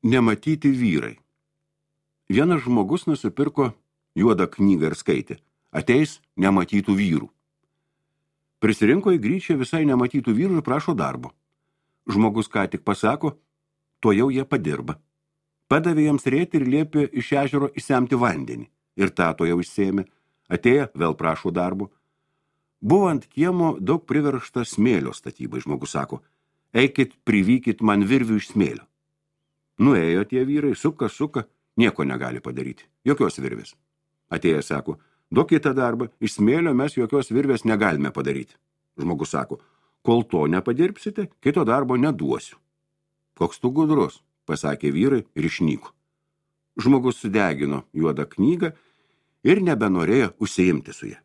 Nematyti vyrai. Vienas žmogus nusipirko juodą knygą ir skaitė. Ateis nematytų vyrų. Prisirinko į gryčią visai nematytų vyrų ir prašo darbo. Žmogus ką tik pasako, to jau jie padirba. Padavė jiems rėti ir liepė iš ežero išsemti vandenį. Ir tą to jau išsėmė. Atėję vėl prašo darbo. Buvo ant kiemo daug priveršta smėlio statybai. Žmogus sako, eikit, privykit man virvių iš smėlio. Nuėjo tie vyrai, suka, nieko negali padaryti. Jokios virvės. Atėjęs sako, duokit tą darbą, iš smėlio mes jokios virvės negalime padaryti. Žmogus sako, kol to nepadirbsite, kito darbo neduosiu. Koks tu gudrus, pasakė vyrai ir išnyko. Žmogus sudegino juodą knygą ir nebenorėjo užsiimti su ja.